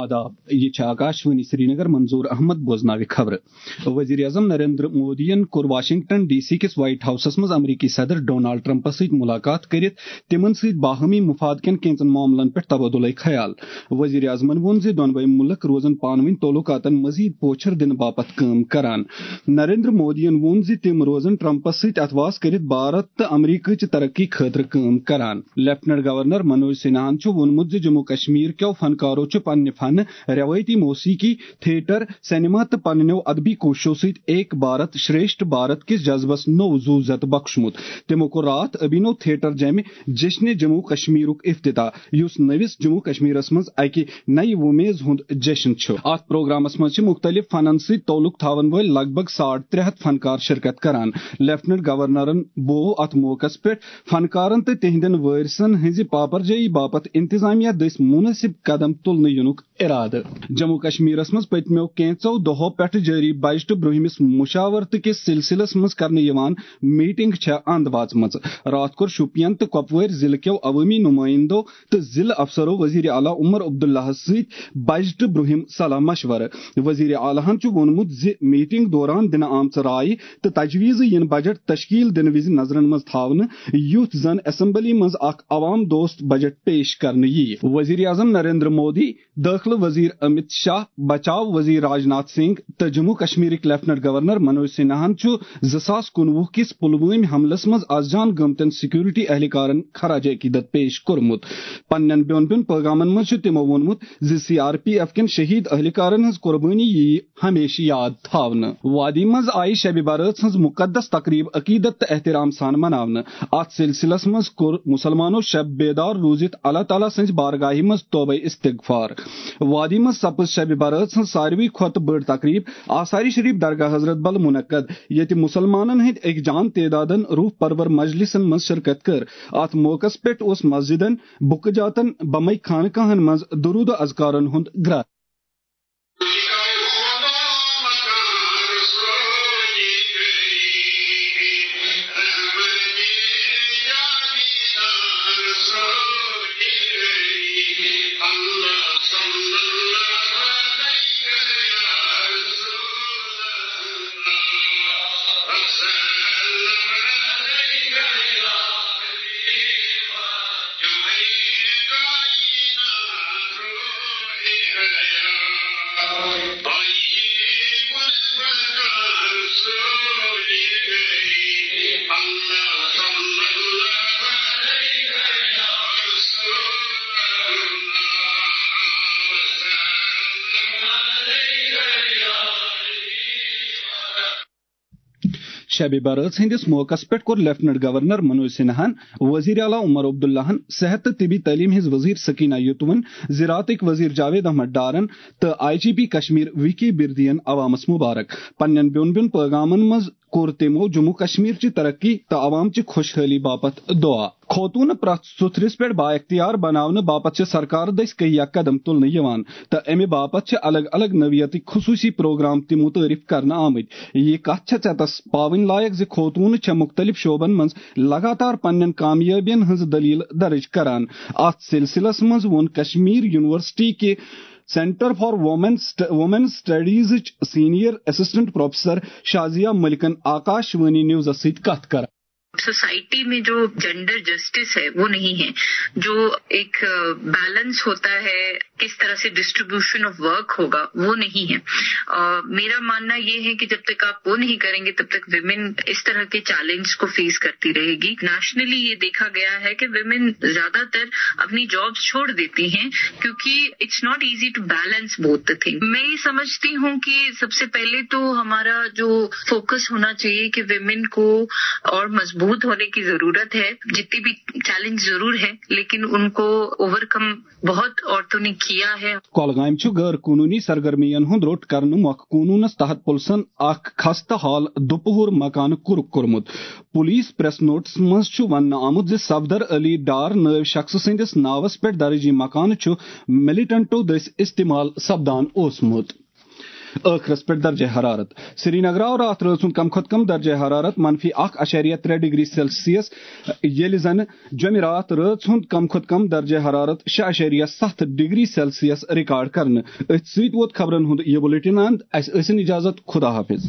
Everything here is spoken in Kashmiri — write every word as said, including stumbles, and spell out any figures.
داب۔ یہِ چھِ آکاشوانی سرینگر، منظور احمد بوزناوِ خبرٕ۔ وزیر اعظم نریندر مودیَن کوٚر واشنگٹن ڈی سی کِس وائٹ ہاؤسَس منٛز امریکی صدر ڈونالڈ ٹرمپَس سۭتۍ ملاقات کٔرِتھ تِمَن سۭتۍ باہمی مفاد کٮ۪ن کینٛژن معاملن پٮ۪ٹھ تبادلہ خیال۔ وزیر اعظمَن ووٚن زِ دۄنوَے مُلک روزَن پانہٕ ؤنۍ تعلقاتَن مزید پوچھر دِنہٕ باپتھ کٲم کران۔ نریندر مودیَن ووٚن زِ تِم روزَن ٹرمپَس سۭتۍ اتھواس کٔرِتھ بھارت تہٕ امریکہ چہِ ترقی خٲطرٕ کٲم کران۔ لیفٹننٹ گورنر منوج سنہاہَن چھُ ووٚنمُت زِ جموں کشمیر کٮ۪و فنکارو چھُ پننہِ فنہٕ، روایتی موسیقی، تھیٹر، سینما تہٕ پننیو ادبی کوٗششو سۭتۍ ایک بھارت شریشٹھ بھارت کِس جذبس نوٚو زُو زیٚتہٕ بخشمُت۔ تِمو کوٚر راتھ ابھینو تھیٹر جیمہِ جشن جموں کشمیرُک افتتاح، یُس نٔوِس جموں کشمیرس منٛز اکہِ نَیہِ وۄمیز ہُنٛد جشن چھُ۔ اتھ پروگرامس منٛز چھِ مُختٔلِف فنن سۭتۍ تعلق تھاون وٲلۍ لگ بگ ساڑ ترٛےٚ ہتھ فنکار شرکت کران۔ لیفٹننٹ گورنرن بوو اتھ موقعس پٮ۪ٹھ فنکارن تہٕ تِہنٛدٮ۪ن وٲرثن ہٕنٛزِ پاپرجٲیی باپتھ انتظامیہ دٔسۍ مناسب قدم تُلنہٕ یِنُک ارادٕ۔ جموں کشمیرس منٛز پٔتمیو کینٛژو دۄہو پٮ۪ٹھٕ جٲری بجٹہٕ برٛونٛہمِس مشاورتہٕ کِس سلسلس منٛز کرنہٕ یِوان میٹنگ چھےٚ اند واژمٕژ۔ راتھ کوٚر شوپین تہٕ کۄپوٲرۍ ضلعہٕ کٮ۪و عوٲمی نُمٲیندو تہٕ ضلعہٕ افسرو وزیر اعلیٰ عمر عبداللہس سۭتۍ بجٹہٕ برٛونٛہِم صلاح مشورٕ۔ وزیر اعلیٰ ہن چھُ ووٚنمُت زِ میٹنگ دوران دِنہٕ آمژٕ رایہِ تہٕ تجویزٕ یِن بجٹ تشکیل دِنہٕ وِزِ نظرن منٛز تھاونہٕ، یُتھ زن اسمبلی منٛز اکھ عوام دوست بجٹ پیش کرنہٕ یِیہِ۔ وزیر اعظم نریندر مودی، دٲخلہٕ وزیر امت شاہ، بچاو وزیر راج ناتھ سنگھ تہٕ جموں کشمیرٕکۍ لیفٹننٹ گورنر منوج سنہاہن چھُ زٕ ساس کُنوُہ کِس پلوٲمۍ حملس منٛز از جان گٔمتٮ۪ن سیکورٹی اہلکارن خراج عقیدت پیش کوٚرمُت۔ پننٮ۪ن بیوٚن بیوٚن پیغامن منٛز چھُ تِمو ووٚنمُت زِ سی آر پی ایف کٮ۪ن شہید اہلکارن ہٕنٛز قربٲنی یِیہِ ہمیشہٕ یاد تھاونہٕ۔ وادی منٛز آیہِ شبِ برات ہٕنٛز مقدس تقریب عقیدت تہٕ احترام سان مناونہٕ۔ اتھ سلسلس منٛز کوٚر مسلمانو شب بیدار روٗزِتھ اللہ تعالیٰ سٕنٛزِ بارگاہہِ منٛز توبہ استغفار۔ وادی منٛز سپٕز شبِ برات ہٕنٛز ساروی کھۄتہٕ بٔڑ تقریب آثار شریف درگاہ حضرت بل منعقد، ییٚتہِ مسلمانن ہٕنٛدۍ أکۍ جان تعدادن روح پرور مجلسن منٛز شرکت کٔر۔ اتھ موقعس پٮ۪ٹھ اوس مسجدن، بُکہٕ جاتن، بمے خانقاہن منٛز درود و اذکارن ہُنٛد گرٛاے۔ شبِ برات ہٕنٛدِس موقعس پٮ۪ٹھ کوٚر لیفٹننٹ گورنر منوج سنہاہن، وزیر اعلیٰ عمر عبداللہن، صحت تہٕ طبی تعلیم ہٕنٛز وزیر سکینہ یتون، زراعتٕکۍ وزیر جاوید احمد ڈارن تہٕ I G P Kashmir V K بردین عوامس مبارک۔ پننٮ۪ن بیوٚن بیوٚن پیغامن منٛز کوٚر تِمو جموں کشمیر چہِ ترقی تہٕ عوام چہِ خۄشحٲلی باپتھ دعا۔ خوتوٗنہٕ پرٛٮ۪تھ سُتھرِس پٮ۪ٹھ بااختیار بناونہٕ باپتھ چھِ سرکار دٔسۍ کہیا قدم تُلنہٕ یِوان تہٕ اَمہِ باپتھ چھِ الگ الگ نوعیتٕکۍ خصوٗصی پروگرام تہِ متعارف کرنہٕ آمٕتۍ۔ یہِ کتھ چھےٚ ژٮ۪تس پاوٕنۍ لایق زِ خوتوٗنہٕ چھےٚ مُختٔلِف شعبن منٛز لگاتار پننٮ۪ن کامیٲبین ہٕنٛز دٔلیٖل درٕج کران۔ اتھ سلسلس منٛز ووٚن کشمیر یونیورسٹی کہِ سینٹر فار وومین سٹ-، وومین سٹڈیزٕچ سینئر اسسٹنٹ پروفیسر شازیہ ملکن آکاش وانی نیوزس سۭتۍ کتھ کران۔ سوسائٹی میں جو جینڈر جسٹس ہے، وہ نہیں ہے۔ جو ایک، آ، بیلنس ہوتا ہے، کس طرح سے ڈسٹریبیوشن آف ورک ہوگا، وہ نہیں ہے۔ آ، میرا ماننا یہ ہے کہ جب تک آپ وہ نہیں کریں گے، تب تک ویمن اس طرح کے چیلنج کو فیس کرتی رہے گی۔ نیشنلی یہ دیکھا گیا ہے کہ ویمن زیادہ تر اپنی جابس چھوڑ دیتی ہیں، کیونکہ it's not easy to balance both the thing۔ میں یہ سمجھتی ہوں کہ سب سے پہلے تو ہمارا جو فوکس ہونا چاہیے کہ ویمن کو اور مضبوط ہونے کی ضرورت ہے۔ جتنی بھی چیلنج ضرور ہے، لیکن ان کو اوور کم بہت عورتوں نے کیا ہے۔ کۄلگامہِ چھُ غٲر قونوٗنی سرگرمیَن ہُنٛد روٚٹ کرنہٕ مۄکھٕ قونوٗنَس تحت پُلسَن اکھ خستہٕ حال دُپہُر مکانہٕ کُرُک کوٚرمُت۔ پُلیٖس پریس نوٹس منٛز چھُ وننہٕ آمُت زِ صفدر علی ڈار نٲوۍ شخصہٕ سٕنٛدِس ناوَس پٮ۪ٹھ درٕج یہِ مکانہٕ چھُ ملیٹنٹو دٔسۍ استعمال سپدان اوسمُت۔ ٲخرس پٮ۪ٹھ درجہ حرارت۔ سرینگر آو راتھ رٲژ ہُنٛد کم کھۄتہٕ کم درجہ حرارت منفی اکھ اعشاریہ ترٛےٚ ڈگری سیلسیس، ییٚلہِ زن جمعراتھ رٲژ ہُنٛد کم کھۄتہٕ کم درجہ حرارت شےٚ اعشاریہ ستھ ڈگری سیلسیس ریکارڈ کرنہٕ۔ أتھۍ سۭتۍ ووت خبرن ہُنٛد یہِ بُلٹن اند۔ اسہِ ٲسِن اجازت، خدا حافظ۔